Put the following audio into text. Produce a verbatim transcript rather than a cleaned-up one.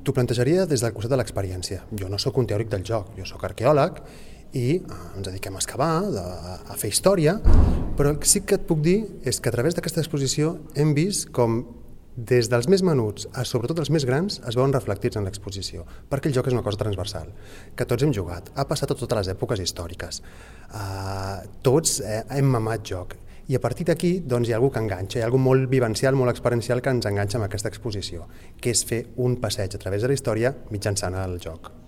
T'ho plantejaria des del costat de l'experiència. Jo no sóc un teòric del joc, jo sóc arqueòleg i ens dediquem a excavar, a fer història, però el que sí que et puc dir és que a través d'aquesta exposició hem vist com des dels més menuts a sobretot els més grans es veuen reflectits en l'exposició, perquè el joc és una cosa transversal, que tots hem jugat, ha passat a totes les èpoques històriques, uh, tots eh, hem mamat joc, i a partir d'aquí doncs, hi ha alguna que enganxa, hi ha alguna molt vivencial, molt experiencial que ens enganxa amb aquesta exposició, que és fer un passeig a través de la història mitjançant el joc.